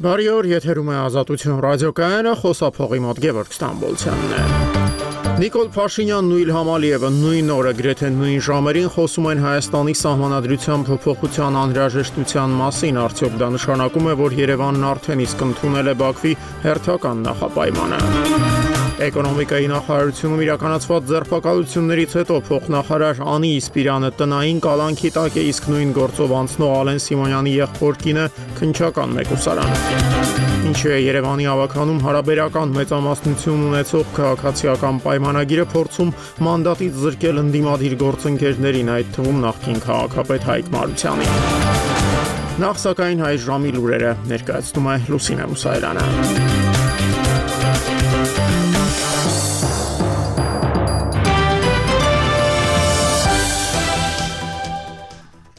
Բարի օր, եթերում է Ազատություն ռադիոկայանը, խոսափողի մոտ Գևորգ Ստամբոլցյանն է։ Նիկոլ Փաշինյանն ու Իլհամ Ալիևը նույն օրը գրեթե նույն ժամերին խոսում են Հայաստանի սահմանադրության փոփոխության անհրաժեշտության մասին, արդյոք դա նշանակում է, որ Երևանն արդեն իսկ ընդունել է Բաքվի հերթական նախապայմանը։ Էկոնոմիկայի նախարարությունում իրականացված ձերբակալություններից հետո փոխնախարար Անի Իսպիրյանը տնային կալանքի տակ է, իսկ նույն գործով անցնող Ալեն Սիմոնյանի եղբոր կինը քննչական մեկուսարան։ Ինչու է Երևանի ավականում հարաբերական մեծամասնություն ունեցող քաղաքացիական պայմանագիրը փորձում մանդատից զրկել ընդդիմադիր գործընկերներին, այդ թվում նախկին քաղաքապետ Հայկ Մարությանին։ Նախ սակայն հայ ժամի լուրերը ներկայացնում է Լուսինե Մուսայելյանը։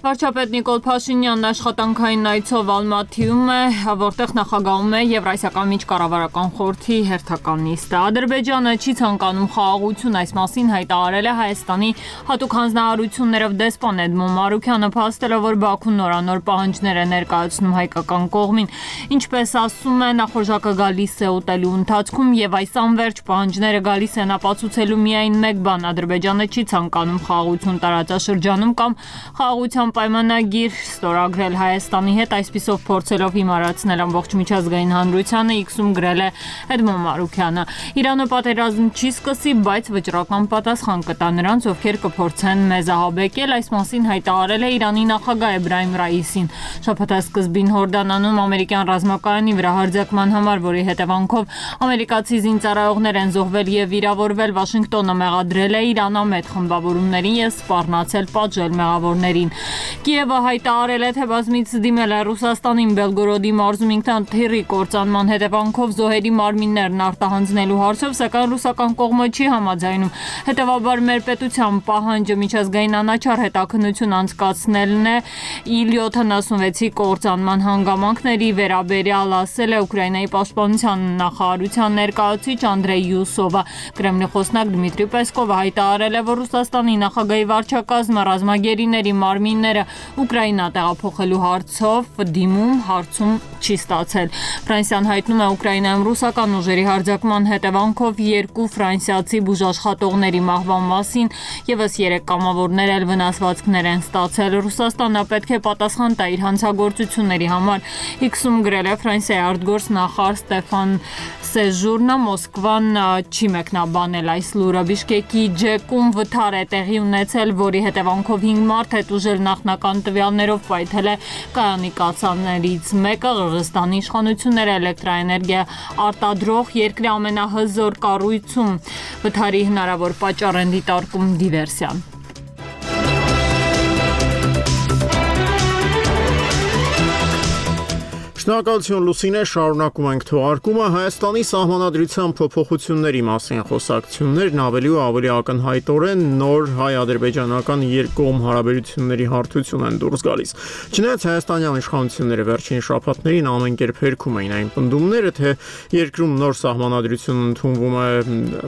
Վարչապետ Նիկոլ Փաշինյանն աշխատանքային այցով Ալմատիում է, որտեղ նախագահում է Եվրասիական միջկառավարական խորհրդի հերթական նիստը։ Ադրբեջանը չի ցանկանում խաղաղություն, այս մասին հայտարարել է Հայաստանի հատուկ հանձնարարություններով դեսպան Էդմոն Մարուքյանը, փաստելով, որ Բաքուն նորանոր պահանջներ է ներկայացնում հայկական կողմին։ Ինչպես ասում է, նախորժակը գալիս է ուտելու ընթացքում եւ այս անվերջ պահանջները գալիս են ապացուցելու միայն մեկ բան՝ Ադրբեջանը չի ցանկանում խաղաղություն տարածաշրջանում կամ խաղաղության պայմանագիր ստորագրել Հայաստանի հետ, այսպիսով փորձելով հիմարացնել ամբողջ միջազգային հանրությանը, X-ում գրել է Էդմոն Մարուքյանը։ Իրանը պատերազմ չի սկսի, բայց վճռական պատասխան կտա նրանց, ովքեր կփորձեն մեզ ահաբեկել, այս մասին հայտարարել է Իրանի նախագահ Էբրահիմ Ռայիսին։ Շաբաթասկզբին Հորդանանում ամերիկյան ռազմակայանի վրա հարձակման համար, որի հետևանքով ամերիկացի զինծառայողներ են զոհվել եւ վիրավորվել, Վաշինգտոնը մեղադրել է Իրան ամեթ խմբավորումներին եւ սպառնացել պատժել մեղավորներին։ Կիևը հայտարարել է, թե բազմից դիմել է Ռուսաստանին Բելգորոդի մարզում ինքնաթիռի կործանման հետևանքով զոհերի մարմիններն արտահանձնելու հարցով, սակայն ռուսական կողմը չի համաձայնում։ Հետևաբար մեր պետության պահանջը միջազգային անաչառ հետաքննություն անցկացնելն է Il-76-ի կործանման հանգամանքների վերաբերյալ, ասել է Ուկրաինայի պաշտպանության նախարարության ներկայացուցիչ Անդրեյ Յուսովը։ Կրեմլի խոսնակ Դմիտրի Պեսկովը հայտարարել է, որ Ռուսաստանի նախագահի վարչակազմը ռազմագերիների մարմինները Ուկրաինա տեղափոխելու հարցով դիմում հարցում չի ստացել։ Ֆրանսիան հայտնում է Ուկրաինայում ռուսական ուժերի հարձակման հետևանքով 2 ֆրանսիացի բուժաշխատողների մահվան մասին, ևս 3 կամավորներ էլ վնասվածքներ են ստացել։ Ռուսաստանը պետք է պատասխան տա իր հանցագործությունների համար, X-ում գրել է Ֆրանսիայի արտգործնախարար Ստեֆան Սեժուրնը, Մոսկվան չի մեկնաբանել այս լուրը։ Բիշկեկի ջեկում վթար է տեղի ունեցել, որի հետևանքով 5 մարդ հետ ուժել նախնական տվյալներով պայթել է կայանի կացաններից մեկը։ Ղրղստանի իշխանությունները էլեկտրաէներգիա արտադրող երկրի ամենահզոր կառույցում վթարի հնարավոր պատճառ են դիտարկում դիվերսիան։ Շնորհակալություն Լուսինե, շարունակում ենք թողարկումը։ Հայաստանի սահմանադրության փոփոխությունների մասին խոսակցություններն ավելի ու ավելի ակնհայտորեն նոր հայ-ադրբեջանական երկկողմ հարաբերությունների հարթություն են դուրս գալիս։ Չնայած հայաստանյան իշխանությունները վերջին շաբաթներին ամեն կերպ հերքում էին այն պնդումները, թե երկրում նոր սահմանադրություն ընդունվում է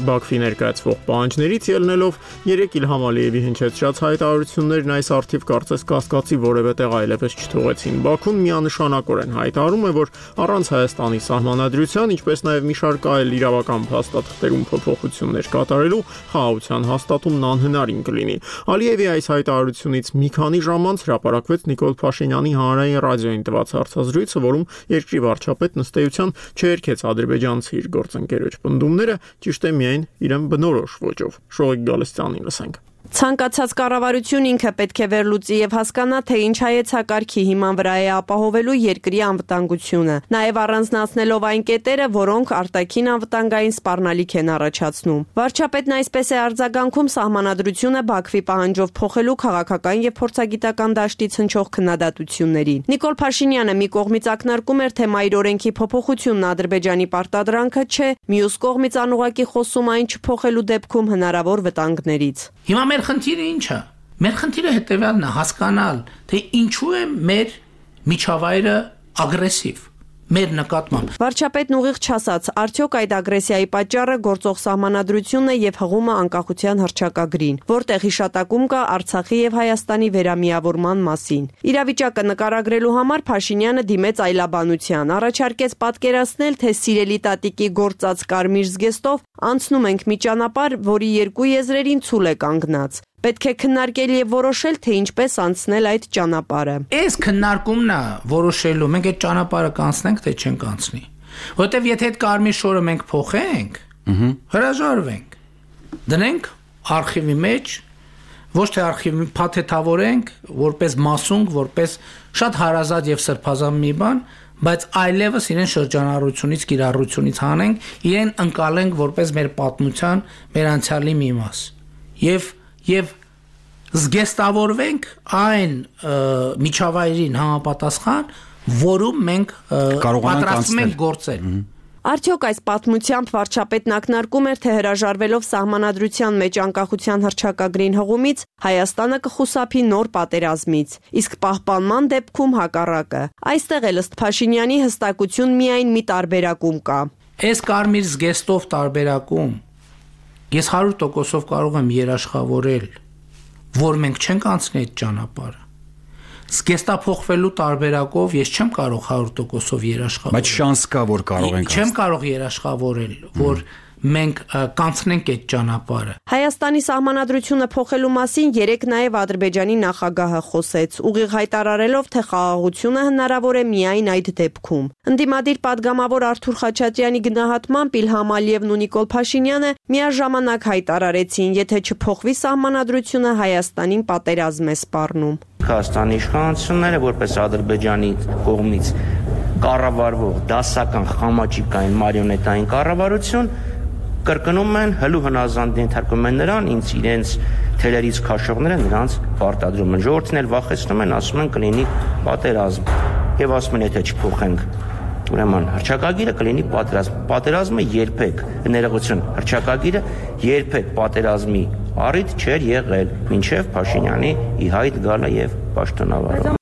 Բաքվի ներկայացվող պահանջներից ելնելով, երեք Իլհամ Ալիևի հնչեցրած հայտարարություններն այս առթիվ կարծես կասկածի որևէ տեղ այլևս չթողեցին։ Բաքուն միանշանակորեն հայտարարում է, որ առանց Հայաստանի սահմանադրության, ինչպես նաև մի շարք այլ իրավական փաստաթղթերում փոփոխություններ կատարելու, խաղաղության հաստատումն անհնարին կլինի։ Ալիևի այս հայտարարությունից մի քանի ժամ անց հրապարակվեց Նիկոլ Փաշինյանի հանրային ռադիոյին տված հարցազրույցը, որում երկրի վարչապետն ըստ էության չերքեց ադրբեջանցի իր գործընկերոջ պնդումները, ճիշտ է միայն իրեն բնորոշ ոճով։ Շողիկ Գալստյանին լսենք։ Ցանկացած կառավարություն ինքը պետք է վերլուծի եւ հասկանա, թե ինչ հայեցակարգի հիման վրա է ապահովելու երկրի անվտանգությունը, նաեւ առանձնացնելով այն կետերը, որոնք արտաքին անվտանգային սպառնալիք են առաջացնում։ Վարչապետն այսպես է արձագանքում սահմանադրությունը Բաքվի պահանջով փոխելու քաղաքական եւ փորձագիտական դաշտից հնչող քննադատություններին։ Նիկոլ Փաշինյանը մի կողմից ակնարկում էր, թե մայր օրենքի փոփոխությունն Ադրբեջանի պարտադրանքը չէ, մյուս կողմից անուղղակի խոսում այն չփոխելու դեպքում հնարավոր վտանգներից։ Հիմա մեր խնդիրը ինչ է։ Մեր խնդիրը հետևյալն է՝ հասկանալ, թե ինչու է մեր միջավայրը ագրեսիվ։ մեր նկատմամբ։ Վարչապետն ուղիղ չասաց, արդյոք այդ ագրեսիայի պատճառը գործող սահմանադրությունն է եւ հղումը անկախության հռչակագրին, որտեղ հիշատակում կա Արցախի եւ Հայաստանի վերամիավորման մասին։ Իրավիճակը նկարագրելու համար Փաշինյանը դիմեց այլաբանության, առաջարկեց պատկերացնել, թե սիրելի տատիկի գործած կարմիր զգեստով անցնում ենք մի ճանապարհ, որի երկու եզրերին ցուլ է կանգնած։ Պետք է քննարկել եւ որոշել, թե ինչպես անցնել այդ ճանապարհը։ Այս քննարկումն է որոշելու, մենք այդ ճանապարհը կանցնենք, թե չենք անցնի։ Որտեւ եթե այդ կարմիր շորը մենք փոխենք, հրաժարվենք, դնենք արխիվի մեջ, ոչ թե արխիվի փաթեթավորենք, որպես մասունք, որպես շատ հարազատ եւ սրբազան մի բան, բայց այլևս իրեն շրջանառությունից, կիրառությունից հանենք, իրեն ընկալենք որպես մեր պատմության, մեր անցյալի մի մաս։ Եվ զգեստավորվենք այն միջավայրին համապատասխան, որում մենք պատրաստվում ենք գործել։ Արդյոք այս պատմությամբ վարչապետն ակնարկում էր, թե հրաժարվելով սահմանադրության մեջ անկախության հռչակագրին հղումից Հայաստանը կխուսափի նոր պատերազմից, իսկ պահպանման դեպքում հակառակը։ Այստեղ էլ ըստ Փաշինյանի հստակություն միայն մի տարբերակում կա։ Այս կարմիր զգեստով տարբերակում ես 100%-ով կարող եմ երաշխավորել, որ մենք չենք անցնի այդ ճանապարհը։ Զգեստափոխվելու տարբերակով ես չեմ կարող 100%-ով երաշխավորել։ Բայց շանս կա, որ կարող ենք։ Չեմ կարող երաշխավորել, որ մենք կանցնենք այդ ճանապարհը։ Հայաստանի սահմանադրությունը փոխելու մասին երեք նաև Ադրբեջանի նախագահը խոսեց, ուղիղ հայտարարելով, թե խաղաղությունը հնարավոր է միայն այդ դեպքում։ Ընդդիմադիր падգամավոր Արթուր Խաչատրյանի գնահատմամբ Իլհամ Ալիևն ու Նիկոլ Փաշինյանը միաժամանակ հայտարարեցին, եթե չփոխվի սահմանադրությունը, Հայաստանին պատերազմ է սպառնում։ Հայաստանի իշխանությունները որպես Ադրբեջանի կողմից կառավարվող դասական խամաճիկային մարիոնետային կառավարություն կրկնում են հլու հնազանդ ենթարկում են նրան, ինձ իրենց թելերից քաշողները նրանց պարտադրում են։ Ժողովրդին էլ վախեցնում են, ասում են կլինի պատերազմ։ Եվ ասում են, եթե չփոխենք ուրեմն հռչակագիրը կլինի պատերազմ։ Պատերազմը երբեք, ներողություն, հռչակագիրը երբեք պատերազմի առիթ չէր եղել, մինչև Փաշինյանի ի հայտ գալը եւ պաշտոնավարումը։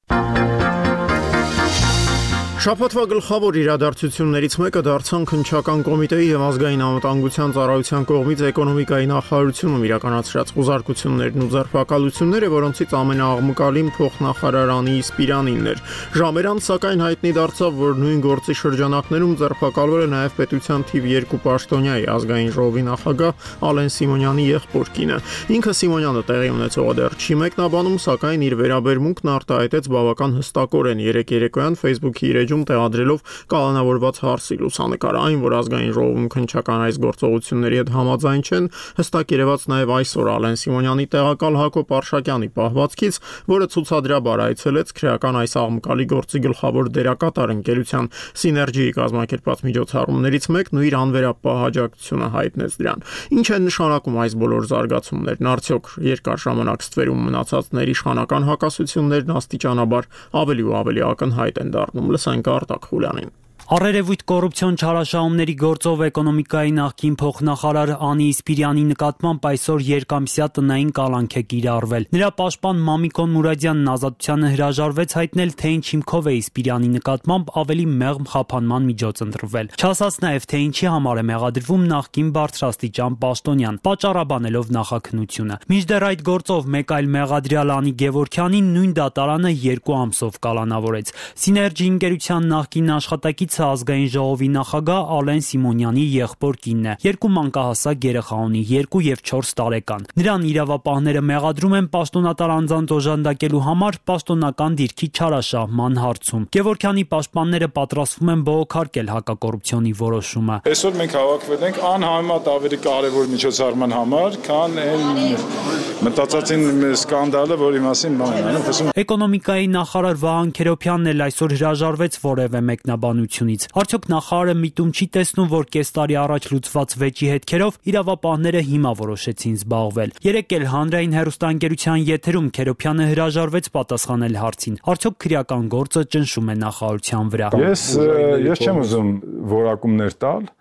Շաբաթվա գլխավոր իրադարձություններից մեկը դարձան Քննչական կոմիտեի եւ ազգային անվտանգության ծառայության կողմից էկոնոմիկայի նախարարությունում իրականացրած խոզարկություններն ու ձերբակալությունները, որոնցից ամենաաղմկալին փոխնախարար Անի Սպիրանինն էր։ Ժամեր անց սակայն հայտնի դարձավ, որ նույն գործի շրջանակներում ձերբակալվել է նաեւ պետության թիվ 2 պաշտոնյայի ազգային ժողովի նախագահ Ալեն Սիմոնյանի եղբոր կինը։ Ինքը Սիմոնյանը տեղի ունեցողը դեռ չի մեկնաբանում, սակայն իր վերաբերմունքն արտահայտեց բավական հստակորեն երեկոյան Facebook-ի իր տեղադրելով կալանավորված հարցի լուսանկար, այն, որ ազգային ժողովում քննչական այս գործողությունների հետ համաձայն չեն, հստակ երևաց նաև այսօր Ալեն Սիմոնյանի տեղակալ Հակոբ Արշակյանի պահվածքից, որը ցուցադրաբար այցելեց քրեական այս աղմկալի գործի գլխավոր դերակատար ընկերության Սիներգիի կազմակերպած միջոցառումներից մեկն ու իր անվերապահ աջակցությունը հայտնեց դրան։ Ինչ են նշանակում այս բոլոր զարգացումներն, արդյոք երկար ժամանակ ստվերում մնացածների իշխանական հակասություններն աստիճանաբար ավելի ու ավելի ակնհայտ են դառնում։ Լսենք Արտակ Խուլյանին։ Առերևույթ կոռուպցիոն չարաշահումների գործով էկոնոմիկայի նախկին փոխնախարար Անի Սպիրյանի նկատմամբ այսօր երկամսյա տնային կալանք է կիրառվել։ Նրա պաշտպան Մամիկոն Մուրադյանն Ազատությանը հրաժարվեց հայտնել, թե ինչ հիմքով է Սպիրյանի նկատմամբ ավելի մեղմ խափանման միջոց ընտրվել։ Չասաց նաև, թե ինչի համար է մեղադրվում նախկին բարձրաստիճան պաշտոնյան, պատճառաբանելով նախաքննությունը։ Մինչդեռ այդ գործով մեկ այլ մեղադրյալ Անի Գևորգյանին նույն դատարանը 2 ամսով կալանավորեց։ Սիներգի ընկերության նախկին աշխատակից ազգային ժողովի նախագահ Ալեն Սիմոնյանի եղբոր կինն է։ 2 մանկահասակ երեխա ունի, 2 եւ 4 տարեկան։ Նրան իրավապահները մեղադրում են պաշտոնատար անձանց օժանդակելու համար պաշտոնական դիրքի չարաշահման հարցում։ Գևորգյանի պաշտպանները պատրաստվում են բողոքարկել հակակոռուպցիոնի որոշումը։ Այսօր մենք հավաքվել ենք անհամեմատ ավելի կարևոր միջոցառման համար, քան այն մտածածին սկանդալը, որի մասին բան են։ Էկոնոմիկայի նախարար Վահան Քերոբյանն էլ այսօր հրաժարվեց որևէ մեկնաբանությունից։ Արդյոք նախարարը միտում չի տեսնում, որ կես տարի առաջ լուծված վեճի հետքերով իրավապահները հիմա որոշեցին զբաղվել։ Երեկ էլ հանրային հեռուստաընկերության եթերում Քերոբյանը հրաժարվեց պատասխանել հարցին։ Արդյոք քրեական գործը ճնշում է նախարարության վրա։ Ես չեմ ուզում որակումներ տալ։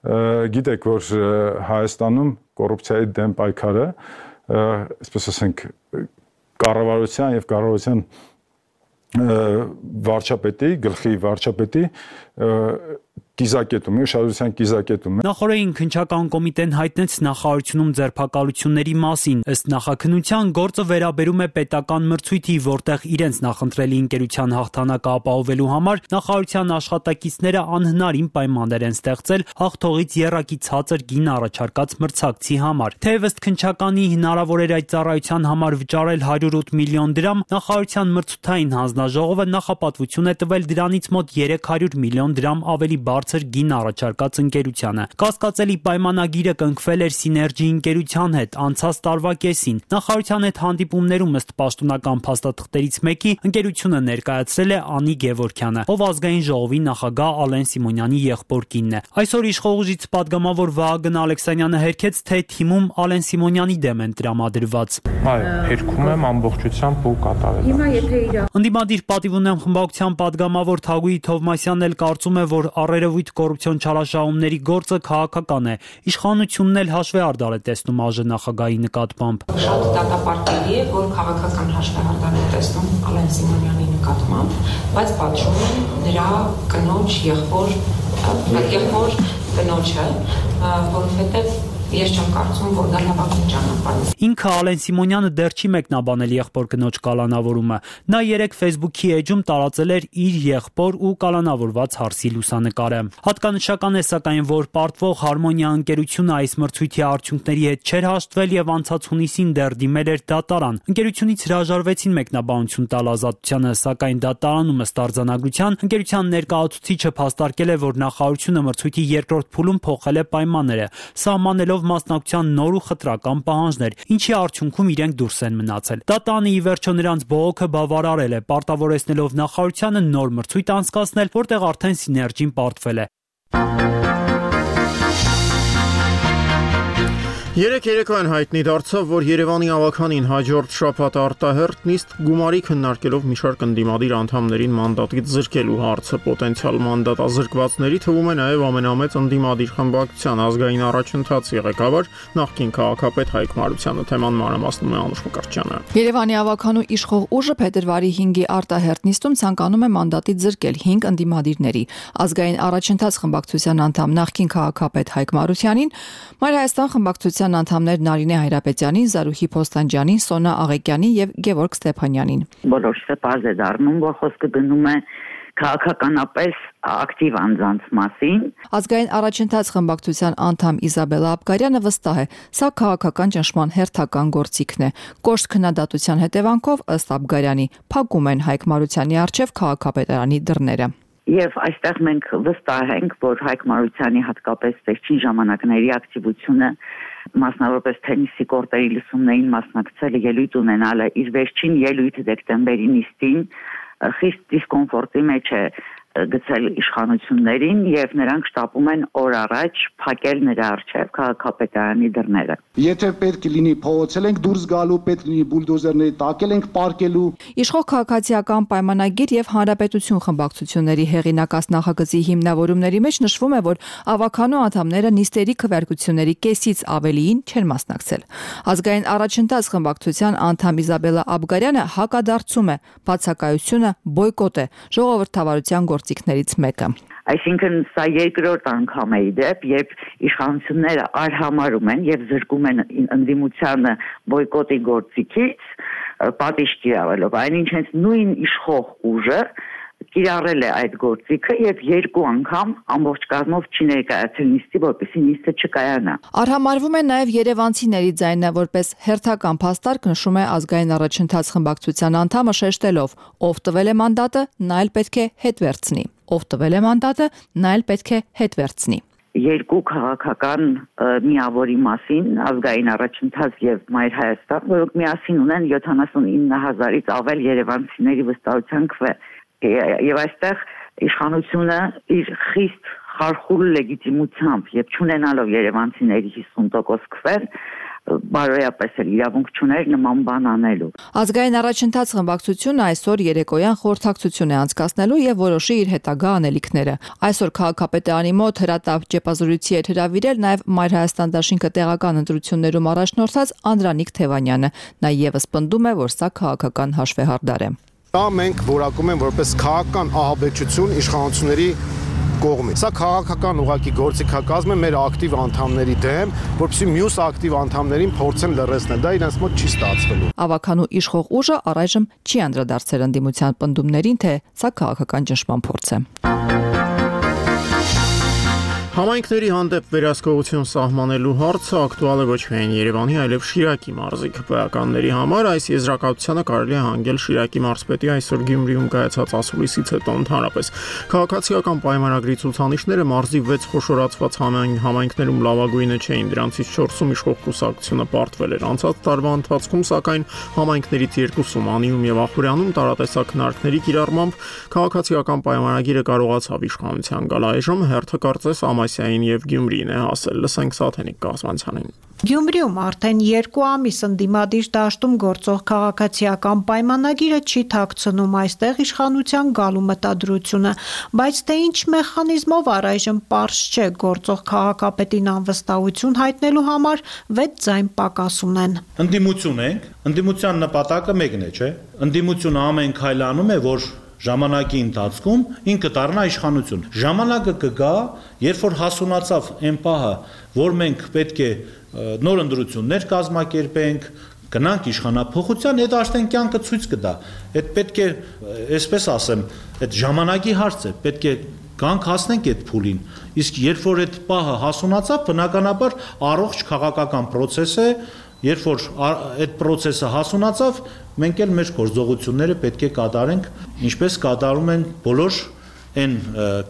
Գիտեք, որ Հայաստանում կոռուպցիայի դեմ պայքարը, այսպես ասենք, կառավարության եւ կառավարության վարչապետի, գլխի վարչապետի կիզակետում, ուշադրության կիզակետում է։ Նախորդին քննչական կոմիտեն հայտնեց նախարարությունում ձերբակալությունների մասին։ Ըստ նախաքննության գործը վերաբերում է պետական մրցույթի, որտեղ իրենց նախընտրելի ընկերության հաղթանակը ապահովելու համար նախարարության աշխատակիցները անհնարին պայմաններ են ստեղծել հաղթողից եռակի ցածր գին առաջարկած մրցակցի համար։ Թեև ըստ քննչականի հնարավոր էր այդ ծառայության համար վճարել 108 միլիոն դրամ, նախարարության մրցութային հանձնաժողովը նախապատվություն է տվել դրանից մոտ 300 միլիոն դրամ ավելի բարձր գին առաջարկած ընկերությանը։ Կասկածելի պայմանագիրը կնքվել էր Սիներգի ընկերության հետ անցած տարվա կեսին։ Նախարարության հետ հանդիպումներում ըստ պաշտոնական փաստաթղթերից մեկի ընկերությունը ներկայացրել է Անի Գևորգյանը, ով ազգային ժողովի նախագահ Ալեն Սիմոնյանի եղբոր կինն է։ Այսօր իշխող ուժից պատգամավոր Վահագն Ալեքսանյանը հերքեց, թե թիմում Ալեն Սիմոնյանի դեմ են տրամադրված։ Այո, հերքում եմ ամբողջությամբ ու կատարել։ Հիմա եթե Ընդդիմադիր պատիվ ունեմ խմբակցության պատգամավոր Թագուհի Թովմասյանն էլ կարծում է, որ առերևույթ կոռուպցիոն չարաշահումների գործը քաղաքական է։ Իշխանությունն էլ հաշվեհարդար է տեսնում ԱԺ նախագահի նկատմամբ։ Շատ դատապարտելի է, որ քաղաքական հաշվեհարդար է տեսնում Ալեն Սիմոնյանի նկատմամբ, բայց պատժում են նրա կնոջ եղբոր կնոջը, որովհետև ես չեմ կարծում, որ դա լավագույն ճանապարհն է։ Ինքը Ալեն Սիմոնյանը դեռ չի մեկնաբանել եղբոր կնոջ կալանավորումը։ Նա երեկ Facebook-ի էջում տարածել էր իր եղբոր ու կալանավորված հարսի լուսանկարը։ Հատկանշական է սակայն, որ պարտվող Հարմոնիա ընկերությունը այս մրցույթի արդյունքների հետ չէր հաշտվել եւ անցած հունիսին դեռ դիմել էր դատարան։ Ընկերությունից հրաժարվեցին մեկնաբանություն տալ ազատությանը, սակայն դատարանում ըստ արձանագրության ընկերության ներկայացուցիչը փաստարկել է, որ նախարարությունը մրցույթի երկրորդ փուլում փոխել է պայմանները, սահմանելով մասնակցության նոր ու խտրական պահանջներ, ինչի արդյունքում իրենք դուրս են մնացել։ Դատանը ի վերջո նրանց բողոքը բավարարել է, պարտավորեցնելով նախարարությանը նոր մրցույթ անցկացնել, որտեղ արդեն Սիներգին պարտվել է։ Երեկ երեկոյան հայտնի դարձավ, որ Երևանի ավականին հաջորդ շաբաթ արտահերթ նիստ գումարի քննարկելով մի շարք ընդդիմադիր անդամներին մանդատից զրկելու հարցը պոտենցիալ մանդատազրկվածների թվում է նաև ամենամեծ ընդդիմադիր խմբակցության ազգային առաջընթացի ղեկավար նախկին քաղաքապետ Հայկ Մարությանը։ Թեման մանրամասնում է Անուշ Մկրտչյանը։ Երևանի ավականու իշխող ուժը փետրվարի 5-ի արտահերթ նիստում ցանկանում է մանդատից զրկել 5 ընդդիմադիրների ազգային առաջընթաց խմբակցության անդամ նախկին քաղաքապետ Հայկ Մարությանին, Մայր Հայաստան խմբակցության անդամներ Նարինե Հայրապետյանին, Զարուհի Փոստանջյանին, Սոնա Աղեկյանին եւ Գևորգ Ստեփանյանին։ Բոլորը պարզ է դառնում, որ խոսքը գնում է քաղաքականապես ակտիվ անձանց մասին։ Ազգային առաջընթաց խմբակցության անդամ Իզաբելլա Աբգարյանը վստահ է, սա քաղաքական ճնշման հերթական գործիքն է։ Կոշտ քննադատության հետևանքով ըստ Աբգարյանի փակում են Հայկ Մարությանի առջև քաղաքապետարանի դռները։ Եվ այստեղ մենք վստահ ենք, որ Հայկ Մարությանի հատկապես վերջին ժամանակների ակտիվությունը, մասնավորապես թենիսի կորտերի լսումներին մասնակցելը, ելույթ ունենալը, իր վերջին ելույթը դեկտեմբերի նիստին խիստ դիսկոմֆորտի մեջ է գցել իշխանություններին եւ նրանք շտապում են օր առաջ փակել նրա առջև քաղաքապետարանի դռները։ Եթե պետք լինի փողոցել ենք դուրս գալու, պետք լինի բուլդոզերների տակել ենք պարկելու։ Իշխող քաղաքացիական պայմանագիր եւ հանրապետություն խմբակցությունների հեղինակած նախագծի հիմնավորումների մեջ նշվում է, որ ավականու անդամները նիստերի քվեարկությունների կեսից ավելիին չեն մասնակցել։ Ազգային առաջընթաց խմբակցության անդամ Իզաբելլա Աբգարյանը հակադարձում է, բացակայությունը բոյկոտ է, ժողովրդավարության գործիքներից մեկը։ Այսինքն սա երկրորդ անգամ է իդեպ, երբ իշխանությունները արհամարում են եւ զրկում են ընդդիմությանը բոյկոտի գործիքից, պատիժ կիրառելով, այնինչ հենց նույն իշխող ուժը կիրառել է այդ գործիքը եւ երկու անգամ ամբողջ կազմով չի ներկայացել նիստի, որպեսզի նիստը չկայանա։ Արհամարվում է նաև երևանցիների ձայնը, որպես հերթական փաստարկ նշում է ազգային առաջընթաց խմբակցության անդամը շեշտելով, ով տվել է մանդատը, նա էլ պետք է հետ վերցնի։ Ով տվել է մանդատը, նա էլ պետք է հետ վերցնի։ Երկու քաղաքական միավորի մասին ազգային առաջընթաց եւ Մայր Հայաստան, որոնք միասին ունեն 79,000-ից ավել երևանցիների վստահության քվե։ Եվ այստեղ իշխանությունը իր խիստ խարխուլ լեգիտիմությամբ եւ չունենալով երևանցիների 50% քվեր բարոյապես էլ իրավունք չուներ նման բան անելու։ Ազգային առաջընթաց խմբակցությունը այսօր երեկոյան խորհրդակցություն է անցկացնելու եւ որոշի իր հետագա անելիքները։ Այսօր քաղաքապետարանի մոտ հրատապ ճեպազորույցի է հրավիրել նաեւ Մայր Հայաստան դաշինքը տեղական ընտրություններում առաջնորդած Անդրանիկ Թևանյանը։ Նա եւս պնդում է, որ սա քաղաքական հաշվեհարդար է։ Դա մենք որակում ենք որպես քաղաքական ահաբեկչություն իշխանությունների կողմից։ Սա քաղաքական ուղղակի գործիքակազմ է մեր ակտիվ անդամների դեմ, որպեսզի մյուս ակտիվ անդամներին փորձեն լռեցնել։ Դա իրենց մոտ չի ստացվելու։ Ավականու իշխող ուժը առայժմ չի անդրադարձել ընդդիմության պնդումներին, թե սա քաղաքական ճնշման փորձ է։ Համայնքների հանդեպ վերահսկողություն սահմանելու հարցը ակտուալ է ոչ միայն Երևանի, այլև Շիրակի մարզի ԿՊԱ-ականների համար։ Այս եզրակացությանը կարելի է հանգել Շիրակի մարզպետի այսօր Գյումրիում կայացած ասուլիսից հետո ընդհանրապես։ Քաղաքացիական պայմանագրի ցուցանիշները մարզի 6 խոշորացված համայնքներում լավագույնը չէին, դրանցից 4-ում իշխող կուսակցությունը պարտվել էր։ Անցած տարվա ընթացքում, սակայն համայնքներից 2-ում Անիում եւ Ախուրյանում տարատեսակ քննարկների կիրառմամբ քաղաքացիական պայմանագիրը կարողացավ իշխանության գալ։ Այժմ հերթը կարծես Ամասիային եւ Գյումրիին է հասել։ Լսենք Սաթենիկ Կազմանցյանին։ Գյումրիում արդեն 2 ամիս ընդդիմադիր դաշտում գործող քաղաքացիական պայմանագիրը չի թաքցնում այստեղ իշխանության գալու մտադրությունը, բայց թե ինչ մեխանիզմով առայժմ պարզ չէ, գործող քաղաքապետին անվստահություն հայտնելու համար 6 ձայն պակաս ունեն։ Ընդդիմություն ենք, ընդդիմության նպատակը մեկն է, չէ՞։ Ընդդիմությունը ամեն քայլանում է, որ ժամանակի ընթացքում ինքը դառնա իշխանություն։ Ժամանակը կգա, երբ որ հասունացավ այն պահը, որ մենք պետք է նոր ընտրություններ կազմակերպենք, գնանք իշխանափոխության, այդ արդեն կյանքը ցույց կտա։ Այդ պետք է, այսպես ասեմ, այդ ժամանակի հարց է, պետք է գանք հասնենք այդ փուլին։ Իսկ երբ որ այդ պահը հասունացավ, բնականաբար առողջ քաղաքական process է, երբ որ այդ process-ը հասունացավ, մենք էլ մեր գործողությունները պետք է կատարենք, ինչպես կատարում են բոլոր այն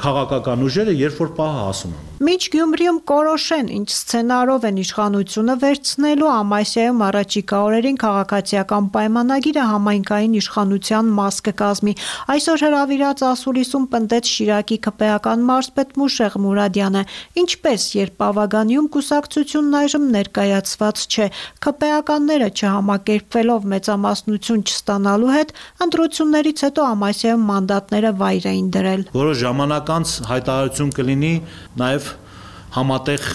քաղաքական ուժերը, երբ որ պահը հասունանում։ Մինչ Գյումրիում կորոշեն, ինչ սցենարով են իշխանությունը վերցնելու, Ամասիայում առաջիկա օրերին քաղաքացիական պայմանագիրը համայնքային իշխանության մաս կկազմի։ Այսօր հրավիրած ասուլիսում պնդեց Շիրակի ԿՊԱ-ական մարզպետ Մուշեղ Մուրադյանը, ինչպես երբ Ավագանիում կուսակցությունն այժմ ներկայացված չէ, ԿՊԱ-ականները չհամակերպվելով մեծամասնություն չստանալու հետ, ընտրություններից հետո Ամասիայում մանդատները վայր էին դրել։ Որոշ ժամանակ անց հայտարարություն կլինի նաև համատեղ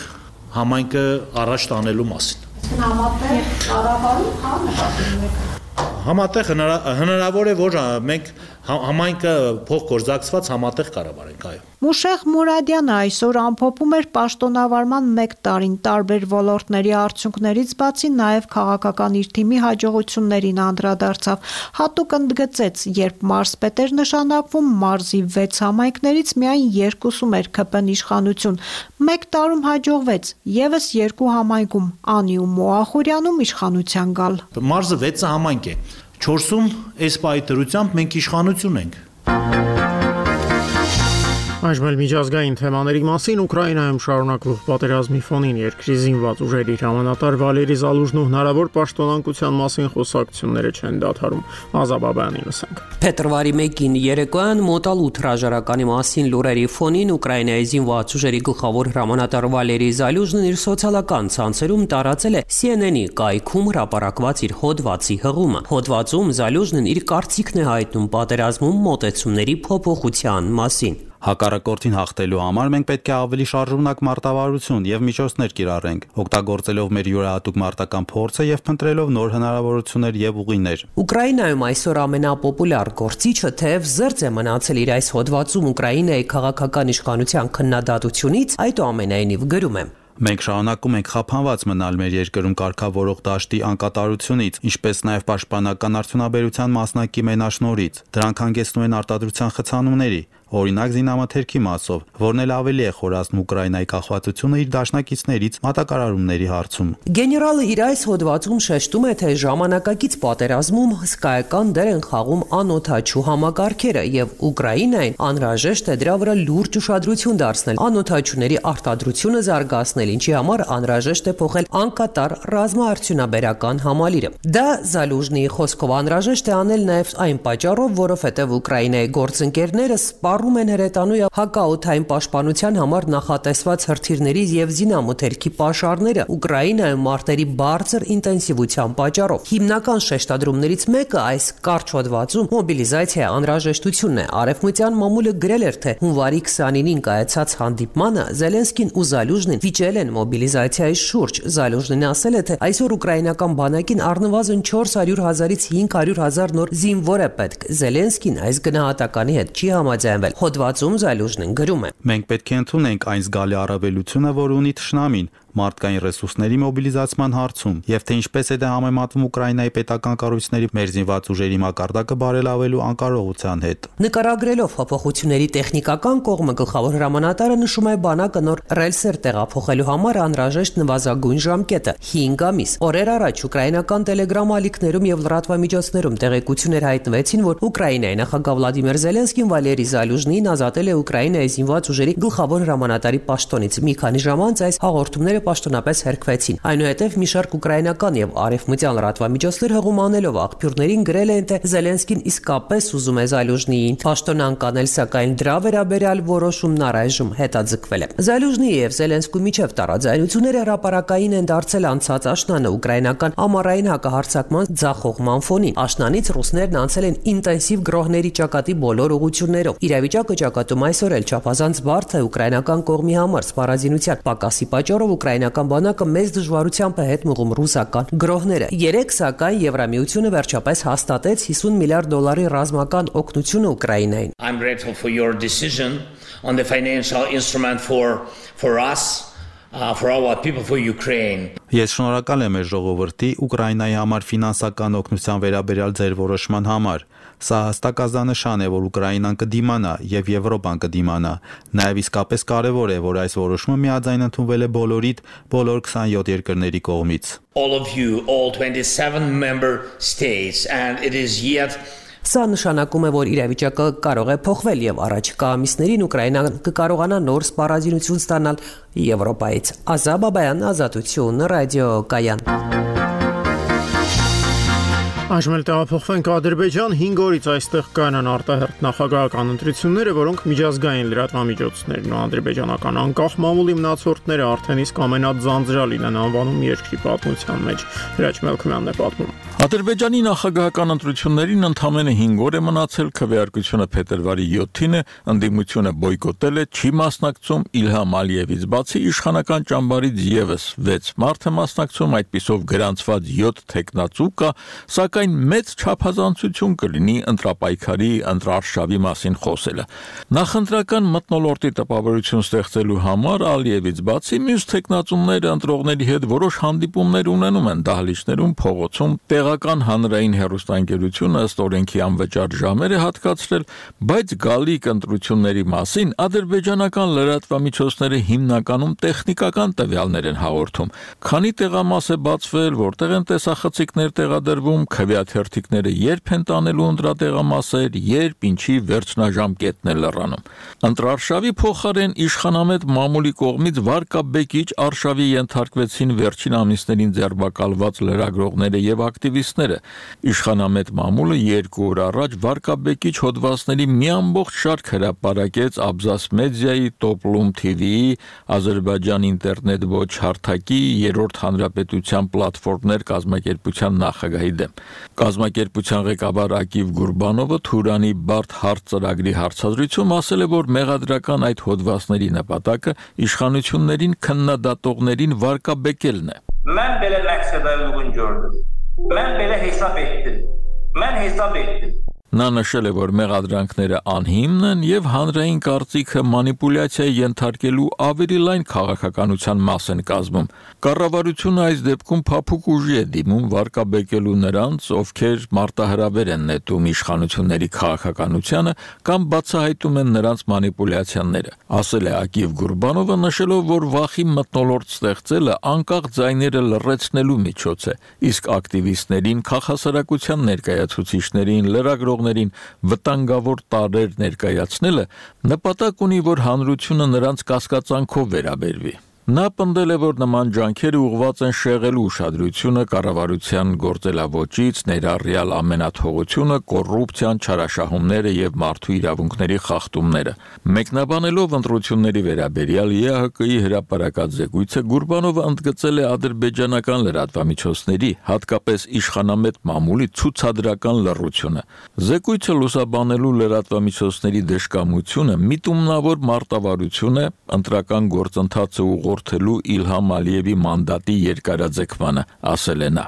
համայնքը առաջ տանելու մասին։ Համատեղ կառավարում նկատում եք։ Համատեղ հնարավոր է, որ մենք համայնքը փոխգործակցված համատեղ կառավարենք, այո։ Մուշեղ Մուրադյանը այսօր ամփոփում էր պաշտոնավարման 1 տարին տարբեր ոլորտների արդյունքներից բացի նաև քաղաքական իր թիմի հաջողություններին անդրադարձավ։ Հատուկ ընդգծեց, երբ մարզպետ էր նշանակվում, մարզի 6 համայնքներից միայն 2-ում էր ԿՊ-ն իշխանություն։ 1 տարում հաջողվեց եւս 2 համայնքում՝ Անիում ու Ախուրյանում իշխանության գալ։ Մարզը 6 համայնք է։ 4-ում այս պայթրությամբ մենք իշխանություն ենք։ Այժմ միջազգային թեմաների մասին Ուկրաինայում շարունակվող պատերազմի ֆոնին երկրի զինված ուժերի հրամանատար Վալերի Զալուժնու հնարավոր պաշտոնանկության մասին խոսակցությունները չեն դադարում։ Ազաբաբյանին լսենք։ Փետրվարի 1-ին երեկոյան մոտալ 8 հրաժարականի մասին լուրերի ֆոնին Ուկրաինայի զինված ուժերի գլխավոր հրամանատար Վալերի Զալուժնն իր սոցիալական ցանցերում տարածել է CNN-ի կայքում հրապարակված իր հոդվածի հղումը։ Հոդվածում Զալուժնն իր կարծիքն է հայտնում պատերազմում մոտեցումների փոփոխության մասին։ Հակառակորդին հաղթելու համար մենք պետք է ավելի շարժունակ մարտավարություն եւ միջոցներ կիրառենք, օգտագործելով մեր յուրահատուկ մարտական փորձը եւ փնտրելով նոր հնարավորություններ եւ ուղիներ։ Ուկրաինայում այսօր ամենապոպուլյար գործիչը թեև զերծ է մնացել իր այս հոդվածում Ուկրաինայի քաղաքական իշխանության քննադատությունից, այդուամենայնիվ գրում է. Մենք շարունակում ենք խափանված մնալ մեր երկրում կարգավորող դաշտի անկատարությունից, ինչպես նաև պաշտպանական արդյունաբերության մասնակի մենաշնորհից։ Դրանք հանգեցնում են արտադրության խցանումների, օրինակ զինամթերքի մասով, որն էլ ավելի է խորացնում Ուկրաինայի կախվածությունը իր դաշնակիցներից մատակարարումների հարցում։ Գեներալը իր այս հոդվածում շեշտում է, թե ժամանակակից պատերազմում հսկայական դեր են խաղում անօդաչու համակարգերը եւ Ուկրաինային անհրաժեշտ է դրա վրա լուրջ ուշադրություն դարձնել, անօդաչուների արտադրությունը զարգացնել, ինչի համար անհրաժեշտ է փոխել անկատար ռազմաարդյունաբերական համալիրը։ Դա Զալուժնի խոսքով անհրաժեշտ է անել նաեւ այն պատճառով, որովհետեւ Ուկրաինայի գործընկերները սպառում են հրետանու եւ հակաօդային պաշտպանության համար նախատեսված հրթիռների եւ զինամթերքի պաշարները Ուկրաինայում մարտերի բարձր ինտենսիվության պատճառով։ Հիմնական շեշտադրումներից մեկը այս կարճ հոդվածում մոբիլիզացիայի անհրաժեշտությունն է։ Արևմտյան մամուլը գրել էր, թե հունվարի 29-ին կայացած հանդիպմանը Զելենսկին ու Զալուժնին վիճել հրավիրել են մոբիլիզացիայի շուրջ։ Զալյուժնին ասել է, թե այսօր ուկրաինական բանակին առնվազն 400,000-ից 500,000 նոր զինվոր է պետք։ Զելենսկին այս գնահատականի հետ չի համաձայնվել։ Հոդվածում Զալյուժնին գրում է. Մենք պետք է ընդունենք այն զգալի առավելությունը, որ ունի թշնամին մարդկային ռեսուրսների մոբիլիզացման հարցում, եւ թե ինչպես է դա համեմատվում Ուկրաինայի պետական կառույցների մեր զինված ուժերի մակարդակը բարելավելու անկարողության հետ։ Նկարագրելով փոփոխությունների տեխնիկական կողմը գլխավոր հրամանատարը նշում է բանակը նոր ռելսեր տեղափոխելու համար անհրաժեշտ նվազագույն ժամկետը 5 ամիս։ Օրեր առաջ ուկրաինական տելեգրամ ալիքներում եւ լրատվամիջոցներում տեղեկություններ հայտնվեցին, որ Ուկրաինայի նախագահ Վլադիմիր Զելենսկին Վալերի Զալյուժնին ազատել է Ուկրաինայի զինված ուժերի գլխավոր հրամանատարի պաշտոնից։ Մի քանի ժամ անց այս հաղորդումները պաշտոնապես հերքվեցին։ Այնուհետև մի շարք ուկրաինական եւ արևմտյան լրատվամիջոցներ հղում անելով աղբյուրներին գրել են, թե Զելենսկին իսկապես ուզում է Զալյուժնիին պաշտոնան կանել, սակայն դրա վերաբերյալ որոշումն առայժմ հետաձգվել է։ Զալյուժնիի եւ Զելենսկու միջև տարաձայնությունները հրապարակային են դարձել անցած աշնանը ուկրաինական ամառային հակահարձակման ձախողման ֆոնին։ Աշնանից ռուսներն անցել են ինտենսիվ գրոհների ճակատի բոլոր ուղղություններով։ Իրավիճակը ճակատում այսօր էլ չափազանց բարդ է ուկրաինական կողմի համար սպառազինության պակասի պատճառով ուկրաինական բանակը մեծ դժվարությամբ է հետ մղում ռուսական գրոհները։ Երեք սակայն Եվրամիությունը վերջապես հաստատեց $50 միլիարդ ռազմական օգնությունը Ուկրաինային։ I'm grateful for your decision on the financial instrument for us. For our people, for Ukraine. Ես շնորհակալ եմ մեր ժողովրդի Ուկրաինայի համար ֆինանսական օգնության վերաբերյալ ձեր որոշման համար։ Սա հստակ ազդանշան է, որ Ուկրաինան կդիմանա եւ Եվրոպան կդիմանա։ Նաեւ իսկապես կարեւոր է, որ այս որոշումը միաձայն ընդունվել է բոլոր 27 երկրների կողմից։ All of you, all 27 member states, and it is yet Սա նշանակում է, որ իրավիճակը կարող է փոխվել եւ առաջիկա ամիսներին Ուկրաինան կկարողանա նոր սպառազինություն ստանալ Եվրոպայից։ Ազա Բաբայան, Ազատություն, ռադիո Կայան։ Այժմ տեղափոխվենք Ադրբեջան, 5 օրից այստեղ կանան արտահերթ նախագահական ընտրությունները, որոնք միջազգային լրատվամիջոցներն ու ադրբեջանական անկախ մամուլի մնացորդները արդեն իսկ ամենաձանձրալին են անվանում երկրի պատմության մեջ։ Հրաչ Մելքումյանն է պատմում։ Ադրբեջանի նախագահական ընտրություններին ընդամենը 5 օր է մնացել, քվեարկությունը փետրվարի 7-ին է, ընդդիմությունը բոյկոտել է, չի մասնակցում Իլհամ Ալիևից բացի իշխանական ճամբարից եւս 6 մարդ է մասնակցում, այդպիսով գրանցված 7 տեխնացու կա, սակայն մեծ չափազանցություն կլինի ընտրապայքարի ընտրարշավի մասին խոսելը։ Նախընտրական մթնոլորտի տպավորություն ստեղծելու համար Ալիևից բացի մյուս տեխնացուները ընտրողների հետ որոշ հանդիպումներ ունենում են դահլիճներում, փողոցում, տեղական հանրային հեռուստաընկերությունը ըստ օրենքի անվճար ժամեր է հատկացրել, բայց գալիք ընտրությունների մասին ադրբեջանական լրատվամիջոցները հիմնականում տեխնիկական տվյալներ են հաղորդում։ Քանի տեղամաս է բացվել, որտեղ են տեսախցիկներ տեղադրվում, քվեաթերթիկները երբ են տանելու ընտրատեղամասեր, երբ ինչի վերջնաժամկետն է լրանում։ Ընտրարշավի փոխարեն իշխանամետ մամուլի կողմից վարկաբեկիչ արշավի ենթարկվեցին վերջին ամիսներին ձերբակալված լրագրողները եւ ակտիվիստները։ Իշխանամետ մամուլը 2 օր առաջ վարկաբեկիչ հոդվածների մի ամբողջ շարք հրապարակեց Abzas Media-ի, Toplum TV-ի, Ադրբեջան ինտերնետ ոչ հարթակի, Երրորդ հանրապետության պլատֆորմներ կազմակերպության նախագահի դեմ։ Կազմակերպության ղեկավար Ակիվ Գուրբանովը Թուրանի բարդ հարց ծրագրի հարցազրույցում ասել է, որ մեղադրական այդ հոդվածների նպատակը իշխանություններին քննադատողներին վարկաբեկելն է։ Mən belə məqsədə uyğun gördüm. Mən belə hesab etdim. Mən hesab etdim. Նա նշել է, որ մեղադրանքները անհիմն են եւ հանրային կարծիքը մանիպուլյացիայի ենթարկելու ավելի լայն քաղաքականության մաս են կազմում։ Կառավարությունը այս դեպքում փափուկ ուժի է դիմում վարկաբեկելու նրանց, ովքեր մարտահրավեր են նետում իշխանությունների քաղաքականությանը կամ բացահայտում են նրանց մանիպուլյացիաները։ Ասել է Ակիվ Գուրբանովը, նշելով, որ վախի մթնոլորտ ստեղծելը անկախ ձայները լռեցնելու միջոց է, իսկ ակտիվիստներին, քաղաքասարակության ներկայացուցիչներին, լրագրողներին վտանգավոր տարրեր ներկայացնելը նպատակ ունի, որ հանրությունը նրանց կասկածանքով վերաբերվի։ Նա պնդել է, որ նման ջանքերը ուղղված են շեղելու ուշադրությունը կառավարության գործելավոճից, ներառյալ ամենաթողությունը, կոռուպցիան, չարաշահումները եւ մարդու իրավունքների խախտումները։ Մեկնաբանելով ընտրությունների վերաբերյալ ԵԱՀԿ-ի հրապարակած զեկույցը, Գուրբանովը ընդգծել է ադրբեջանական լրատվամիջոցների, հատկապես իշխանամետ մամուլի ցուցադրական լռությունը։ Զեկույցը լուսաբանելու լրատվամիջոցների դժկամությունը միտումնավոր մարտավարություն է, ընտրական գործընթացը հաղորդելու Իլհամ Ալիևի մանդատի երկարաձգմանը, ասել է նա։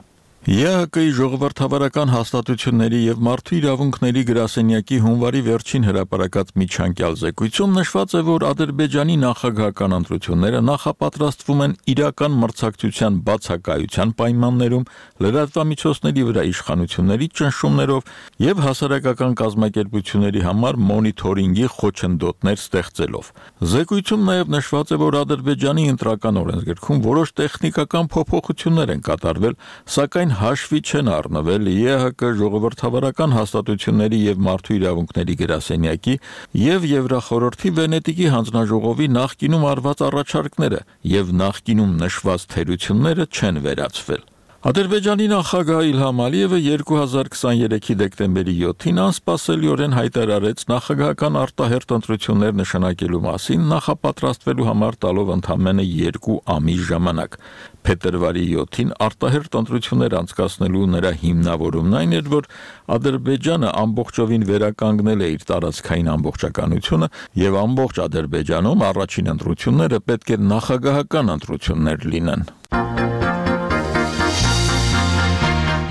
ԵՀԿ-ի ժողովրդավարական հաստատությունների եւ մարդու իրավունքների գրասենյակի հունվարի վերջին հրապարակած միջանկյալ զեկույցում նշված է, որ Ադրբեջանի նախագահական ընտրությունները նախապատրաստվում են իրական մրցակցության բացակայության պայմաններում, լրատվամիջոցների վրա իշխանությունների ճնշումներով եւ հասարակական կազմակերպությունների համար մոնիթորինգի խոչընդոտներ ստեղծելով։ Զեկույցում նաեւ նշված է, որ Ադրբեջանի ընտրական օրենսգրքում որոշ տեխնիկական փոփոխություններ են կատարվել, սակայն հաշվի չեն առնվել ԵՀԿ ժողովրդավարական հաստատությունների եւ մարդու իրավունքների գրասենյակի եւ Եվրախորհրդի Վենետիկի հանձնաժողովի նախկինում արված առաջարկները եւ նախկինում նշված թերությունները չեն վերացվել։ Ադրբեջանի նախագահ Իլհամ Ալիևը 2023-ի դեկտեմբերի 7-ին անսպասելիորեն հայտարարեց նախագահական արտահերթ ընտրություններ նշանակելու մասին նախապատրաստվելու համար տալով ընդամենը 2 ամիս ժամանակ։ Փետրվարի 7-ին արտահերթ ընտրություններ անցկացնելու նրա հիմնավորումն այն էր, որ Ադրբեջանը ամբողջովին վերականգնել է իր տարածքային ամբողջականությունը եւ ամբողջ Ադրբեջանում առաջին ընտրությունները պետք է նախագահական ընտրություններ լինեն։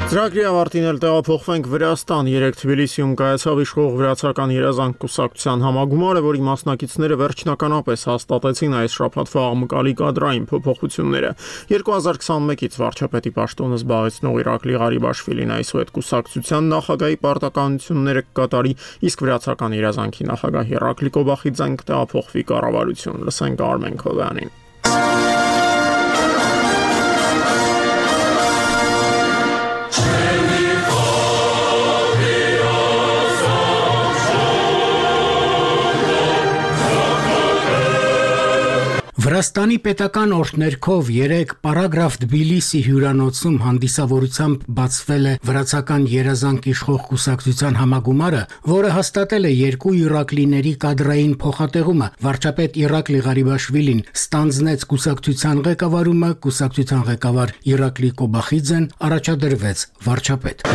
Ծրագրի ավարտին էլ տեղափոխվենք Վրաստան։ Երեկ Թբիլիսիում կայացավ իշխող վրացական երազանք կուսակցության համագումարը, որի մասնակիցները վերջնականապես հաստատեցին այս շաբաթվա աղմկալի կադրային փոփոխությունները։ 2021-ից վարչապետի պաշտոնը զբաղեցնող Իրակլի Ղարիբաշվիլին այսուհետ կուսակցության նախագահի պարտականությունները կկատարի, իսկ վրացական երազանքի նախագահ Իրակլի Կոբախիձեն կտեղափոխվի կառավարություն։ Լսենք Արմեն Քովյանին։ Վրաստանի պետական օրհներգով երեկ Պարագրաֆ Թբիլիսի հյուրանոցում հանդիսավորությամբ բացվել է վրացական երազանք իշխող կուսակցության համագումարը, որը հաստատել է երկու իրակլիների կադրային փոխատեղումը։ Վարչապետ Իրակլի Ղարիբաշվիլին ստանձնեց կուսակցության ղեկավարումը, կուսակցության ղեկավար Իրակլի Կոբախիձեն առաջադրվեց վարչապետ։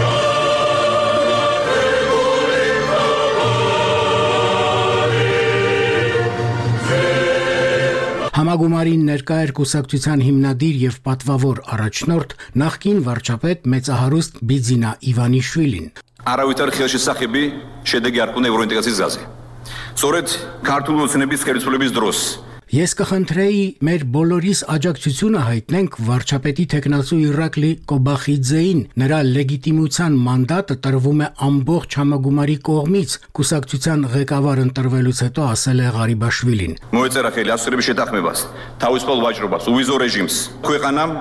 Համագումարին ներկա էր կուսակցության հիմնադիր եւ պատվավոր առաջնորդ նախկին վարչապետ մեծահարուստ Բիձինա Իվանիշվիլին։ Առավոտար խելքի սախիբի շեդեգի արկուն եվրոինտեգրացիա զազի։ Սորետ քարտուլոցնեբիս քերցուլեբիս դրոս։ Ես կխնդրեի մեր բոլորիս աջակցությունը հայտնենք վարչապետի տեխնացու Իրակլի Կոբախիձեին, նրա լեգիտիմության մանդատը տրվում է ամբողջ համագումարի կողմից, կուսակցության ղեկավար ընտրվելուց հետո ասել է Ղարիբաշվիլին։ Մոյցերախելի ասուրի շետախմեված, թաուսպալ վաճրոված, ուվիզո ռեժիմս։ Քույղանամ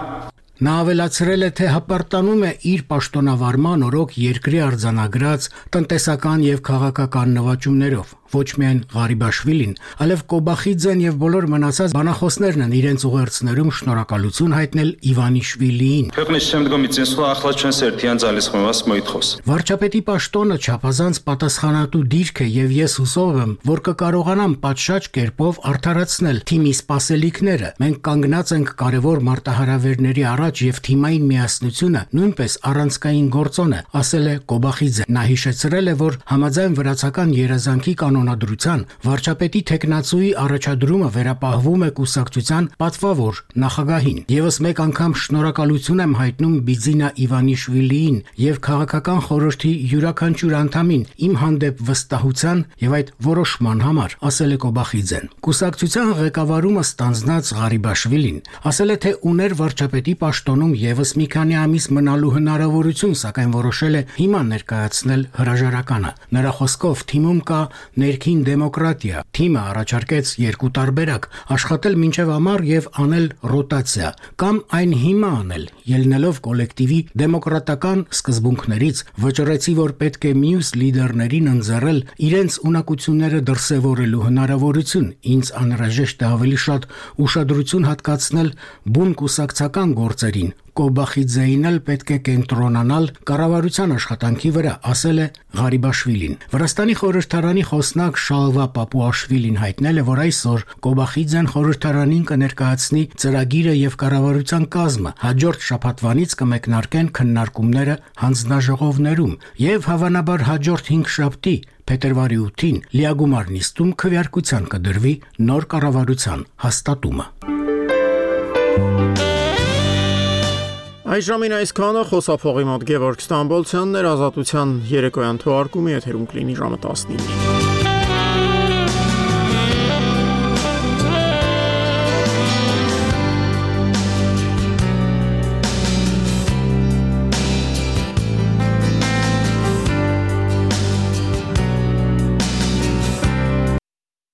Նա ավելացրել է, թե հպարտանում է իր պաշտոնավարման օրոք երկրի արձանագրած տնտեսական եւ քաղաքական նվաճումներով։ Ոչ միայն Ղարիբաշվիլին, այլև Կոբախիձեն եւ բոլոր մնացած բանախոսներն են իրենց ուղերձներում շնորհակալություն հայտնել Իվանիշվիլիին։ Վարչապետի պաշտոնը չափազանց պատասխանատու դիրք է եւ ես հուսով եմ, որ կկարողանամ պատշաճ կերպով արդարացնել թիմի սպասելիքները։ Մենք կանգնած ենք կարևոր մարտահրավերների առաջ եւ թիմային միասնությունը նույնպես առանցքային գործոն է, ասել է Կոբախիձեն։ Նա հիշեցրել է, որ համաձայն վրացական երազանքի կանոնադրության վարչապետի տեխնացուի առաջադրումը վերապահվում է կուսակցության պատվավոր նախագահին։ Եվս մեկ անգամ շնորհակալություն եմ հայտնում Բիձինա Իվանիշվիլիին եւ քաղաքական խորհրդի յուրաքանչյուր անդամին իմ հանդեպ վստահության եւ այդ որոշման համար, ասել է Կոբախիձեն։ Կուսակցության ղեկավարումը ստանձնած Ղարիբաշվիլին ասել է, թե ուներ վարչապետի պաշտոնում եւս մի քանի ամիս մնալու հնարավորություն, սակայն որոշել է հիմա ներկայացնել հրաժարականը։ Նրա խոսքով թիմում կա ներքին դեմոկրատիա։ Թիմը առաջարկեց երկու տարբերակ՝ աշխատել մինչև ամառ եւ անել ռոտացիա, կամ այն հիմա անել, ելնելով կոլեկտիվի դեմոկրատական սկզբունքներից, վճռեցի, որ պետք է մյուս լիդերներին ընձեռել իրենց ունակությունները դրսևորելու հնարավորություն։ Ինձ անհրաժեշտ է ավելի շատ ուշադրություն հատկացնել բուն կուսակցական գործերին։ Կոբախիձեին էլ պետք է կենտրոնանալ կառավարության աշխատանքի վրա, ասել է Ղարիբաշվիլին։ Վրաստանի խորհրդարանի խոսնակ Շալվա Պապուաշվիլին հայտնել է, որ այսօր Կոբախիձեն խորհրդարանին կներկայացնի ծրագիրը եւ կառավարության կազմը։ Հաջորդ շաբաթվանից կմեկնարկեն քննարկումները հանձնաժողովներում եւ հավանաբար հաջորդ 5 շաբթի փետրվարի 8-ին լիագումար նիստում քվեարկության կդրվի նոր կառավարության հաստատումը։ Այժմին այսքանը խոսափողի մոտ Գևորգ Ստամբոլցյանն էր, Ազատության երեկոյան թողարկումի եթերում կլինի ժամը 19-ին։